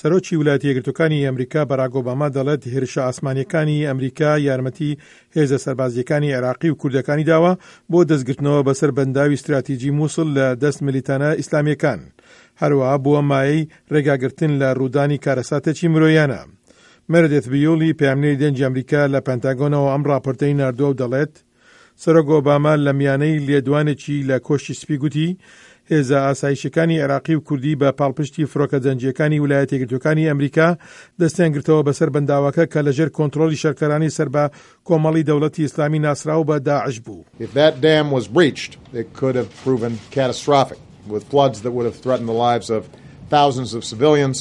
سەرۆکی ولایەتە یەکگرتووەکانی ئەمریکا باراک ئۆباما دەڵێت هێرشە ئاسمانییەکانی ئەمریکا یارمەتی هێزە سەربازییەکانی عێراقی و کوردەکانی داوە بۆ دەستگرتنەوە بەسەر بەنداوی ستراتیجی موسڵ لە دەست ملیتانە ئیسلامییەکان، هەروەها بووە مایەی ڕێگاگرتن لە ڕوودانی کارەساتێکی مرۆیانە. مێرێدێث بیوڵی پەیامنێری دەنگی ئەمریکا لە پەنتاگۆنەوە ئەم ڕاپۆرتەی ناردووە و دەڵێت، سەرۆک ئۆباما لە میانەی لێدوانێکی لە کۆشکی سپی گوتی، هێزە ئاسایشیەکانی عێراقی و کوردی بە پاڵپشتی فڕۆکە جەنگییەکانی ولایەتە یەکگرتووەکانی ئەمریکا دەستیان گرتەوە بەسەر بەنداوەکە کە لەژێر کۆنترۆڵی شەرکەرانی سەر بە کۆمەڵی دەوڵەتی ئیسلامی ناسراو بە داعش بوو. If that dam was breached, it could have proven catastrophic, with floods that would have threatened the lives of thousands of civilians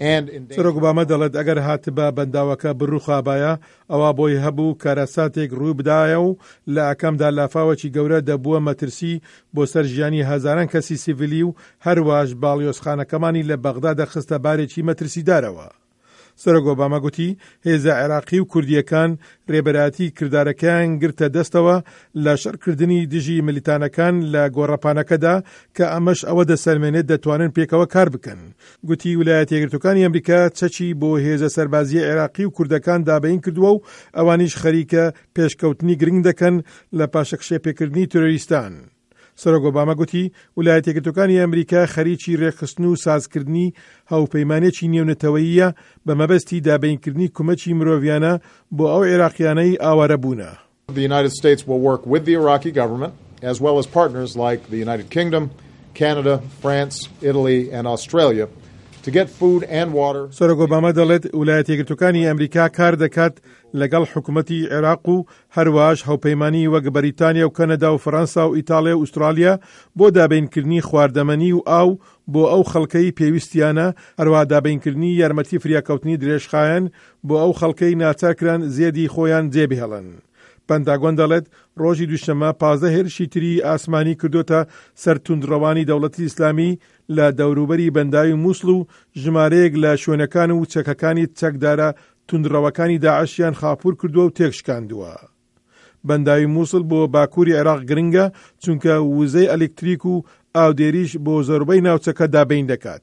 and endangered. سەرۆک ئۆباما دەڵێت ئەگەر هاتبا بەنداوەکە بڕوخابایە ئەوا بۆی هەبوو کارەساتێک ڕووی بدایە و لە ئاکامدا لافاوێکی گەورە دەبووە مەترسی بۆ سەر ژیانی هەزاران کەسی سیڤیلی و هەرواش باڵیۆزخانەکەمانی لە بەغدا دەخستە بارێکی مەترسیدارەوە. سەرۆک ئۆباما گوتی هێزە عێراقی و کوردییەکان رێبەرایەتی کردارەکەیان گرتە دەستەوە لە شەڕکردنی دژی ملیتانەکان لە گۆڕەپانەکەدا کە ئەمەش ئەوە دەسەلمێنێت دەتوانن پێکەوە کار بکەن. گوتی ولایەتە یەکگرتووەکانی ئەمریکا چەکی بۆ هێزە سەربازییە عێراقی و کوردەکان دابەین کردووە و ئەوانیش خەریکە پێشکەوتنی گرنگ دەکەن لە پاشەکشێپێکردنی تیرۆریستان. سەرۆک ئۆباما گوتی ولایەتە یەکگرتووەکانی ئەمریکا خەریکی رێکخستن و سازکردنی هاوپەیمانێکی نێونەتەوەییە بە مەبەستی دابەینکردنی کومەکی مرۆڤیانە بۆ ئەو عێراقیانەی ئاوارە بوونە. The United States will work with the Iraqi government as well as partners like the United Kingdom, Canada, France, Italy and Australia to get food and water. سەرۆک ئۆباما دەڵێت ولایەتە یەکگرتووەکانی ئەمریکا کار دەکات لەگەڵ حکومەتی عێراق و هەروەهاش هاوپەیمانانی وەک بەریتانیا و کەنەدا و فەرەنسا و ئیتاڵیا و ئوسترالیا بۆ دابینکردنی خواردەمەنی و ئاو بۆ ئەو خەڵکەی پێویستیانە، هەروەها دابینکردنی یارمەتی فریاکەوتنی درێژخایەن بۆ ئەو خەڵکەی ناچارکران زێدی خۆیان جێبهێڵن. پەنتاگۆن دەڵێت، ڕۆژی دووشەممە 15 هێرشی تری ئاسمانی کردۆتە سەر توندڕەوانی دەوڵەتی ئیسلامی لە دەوروبەری بەنداوی موسڵ و ژمارەیەک لە شوێنەکان و چەکەکانی چەکدارە توندڕەوەکانی داعشیان خاپوور کردووە و تێکشکاندووە. بەنداوی موسڵ بۆ باکووری عێراق گرنگە، چونکە وزەی ئەلکتریک و ئاودێریش بۆ زۆربەی ناوچەکە دابین دەکات.